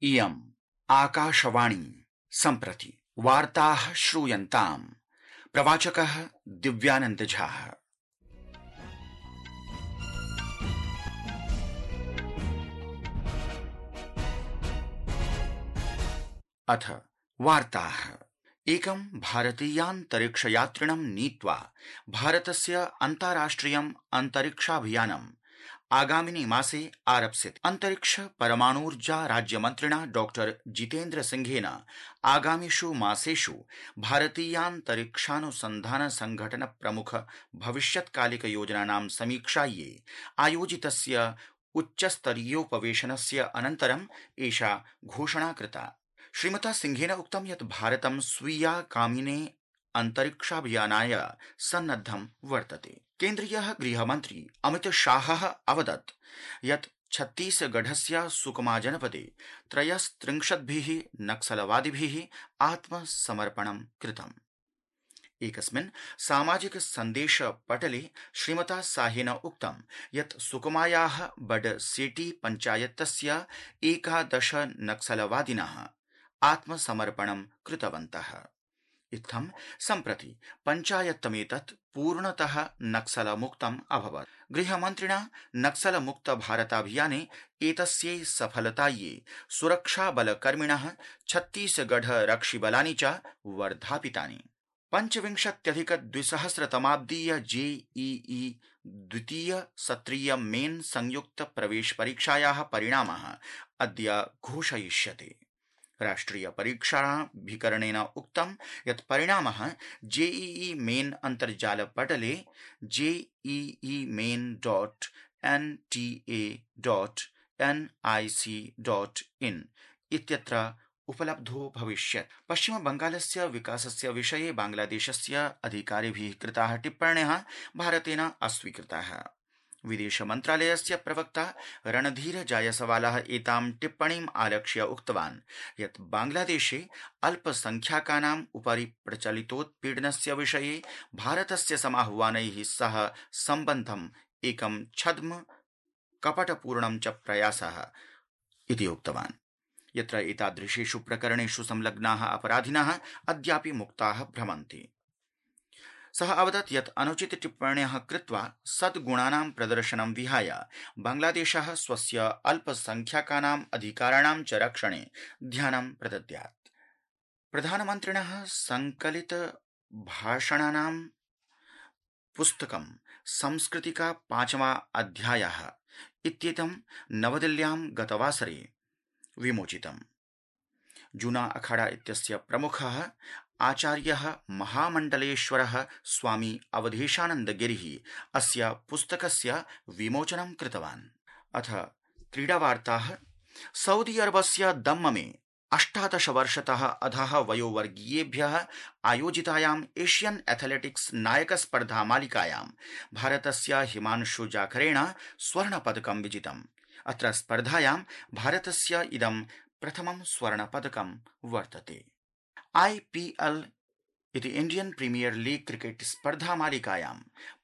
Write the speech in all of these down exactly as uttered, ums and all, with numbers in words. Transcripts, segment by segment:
इयम् आकाशवाणी सम्प्रति वार्ताः श्रूयन्ताम्। प्रवाचकः दिव्यानंद झा। अथ वार्ताः। एकं भारतीयान्तरिक्षयात्रिणं नीत्वा भारतस्य अन्ताराष्ट्रियम् अन्तरिक्षाभियानम् आगामिनि मासे आरप्स्यते। अन्तरिक्ष परमाणूर्जा राज्यमन्त्रिणा डॉक्टर जितेन्द्र सिंहेन आगामिषु मासेषु भारतीयान्तरिक्षानुसन्धान संघटन प्रमुख भविष्यत्कालिक योजनानां समीक्षायै आयोजितस्य उच्चस्तरीयोपवेशनस्य अनन्तरम् एषा घोषणा कृता। श्रीमता सिंहेन उक्तं यत् भारतं स्वीयागामिने अन्तरिक्षाभियानाय सन्नद्धं वर्तते। केन्द्रीयः गृहमन्त्री अमित शाहः अवदत् यत् छत्तीसगढस्य सुकमा जनपदे त्रयस्त्रिंशद्भिः नक्सलवादिभिः आत्मसमर्पणं कृतम्। एकस्मिन् सामाजिक सन्देश पटले श्रीमता शाहेन उक्तं यत् सुकमायाः बडसेटी पञ्चायतस्य एकादश नक्सलवादिनः आत्मसमर्पणं कृतवन्तः। इत्थं सम्प्रति पञ्चायत्तमेतत् पूर्णतः नक्सलमुक्तम् अभवत्। गृहमन्त्रिणा नक्सलमुक्त भारताभियाने एतस्यै सफलतायै सुरक्षाबलकर्मिणः छत्तीसगढ रक्षिबलानि च वर्धापितानि। पञ्चविंशत्यधिक द्विसहस्रतमाब्दीय जेईई द्वितीय सत्रीय मेन् संयुक्त प्रवेश परीक्षायाः परिणामः अद्य घोषयिष्यते। राष्ट्रिय परीक्षाभिकरणेन उक्तं यत् परिणामः जेईई मेन् अन्तर्जाल पटले JEE main dot N T A dot N I C dot in इत्यत्र उपलब्धो भविष्यत्। पश्चिम बंगालस्य विकासस्य विषये बांग्लादेशस्य अधिकारिभिः कृताः टिप्पण्यः भारतेन अस्वीकृताः। विदेश मन्त्रालयस्य प्रवक्ता रणधीर जायसवालः एतां टिप्पणीम् आलक्ष्य उक्तवान् यत् बांग्लादेशे अल्पसंख्याकानाम् उपरि प्रचलितोत्पीडनस्य विषये भारतस्य समाह्वानैः सह सम्बद्धम् एकं छद्म कपटपूर्णं च प्रयासः इति उक्तवान्, यत्र एतादृशेषु प्रकरणेषु संलग्नाः अपराधिनः अद्यापि मुक्ताः भ्रमन्ति। सः अवदत् यत् अनुचित टिप्पण्यः कृत्वा सद्गुणानां प्रदर्शनं विहाय बांग्लादेशः स्वस्य अल्पसंख्याकानाम् अधिकाराणां च रक्षणे ध्यानं प्रदद्यात्। प्रधानमन्त्रिणः संकलित भाषणानां पुस्तकं संस्कृतिका पांचवा अध्यायः इत्येतं नवदिल्ल्यां गतवासरे विमोचितम्। जूना अखाड़ा इत्यस्य प्रमुखः आचार्यः महामण्डलेश्वरः स्वामी अवधेशानन्दगिरिः अस्य पुस्तकस्य विमोचनं कृतवान्। अथ क्रीडावार्ताः। सऊदी अरबस्य दम्ममे अष्टादश वर्षतः अधः वयोवर्गीयेभ्यः आयोजितायाम् एशियन् एथलेटिक्स् नायकस्पर्धा मालिकायां भारतस्य हिमांशु जाखरेण स्वर्णपदकं विजितम्। अत्र स्पर्धायां भारतस्य इदं प्रथमं स्वर्णपदकं वर्तते। आईपीएल इति इंडियन प्रीमियर लीग क्रिकेट स्पर्धा मालिकायां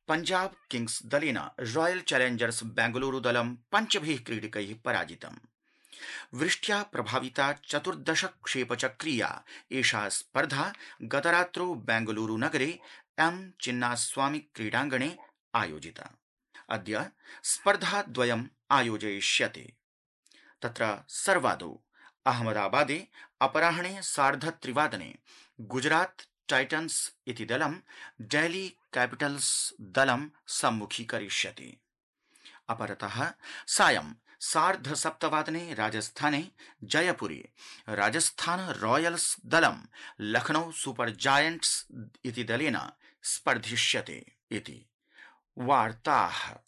पंजाब किंग्स दलेन रॉयल चैलेंजर्स बेंगलुरु दलं पञ्चभिः क्रीडकैः पराजितम्। वृष्ट्या प्रभाविता चतुर्दश क्षेपचक्रीया एषा स्पर्धा गतरात्रौ बेंगलुरु नगरे एम चिन्नास्वामी क्रीडाङ्गणे आयोजिता। अद्य स्पर्धा द्वयम् आयोजयिष्यते। तत्र सर्वादौ अहमदाबादे अपराह्णे सार्धत्रिवादने गुजरात टाइटन्स इति दलं डेल्ही कैपिटल्स दलं सम्मुखीकरिष्यति। अपरतः सायं सार्धसप्तवादने राजस्थाने जयपुरे राजस्थान रॉयल्स दलं लखनऊ सुपर जायंट्स इति दलेन स्पर्धिष्यते इति वार्ताः।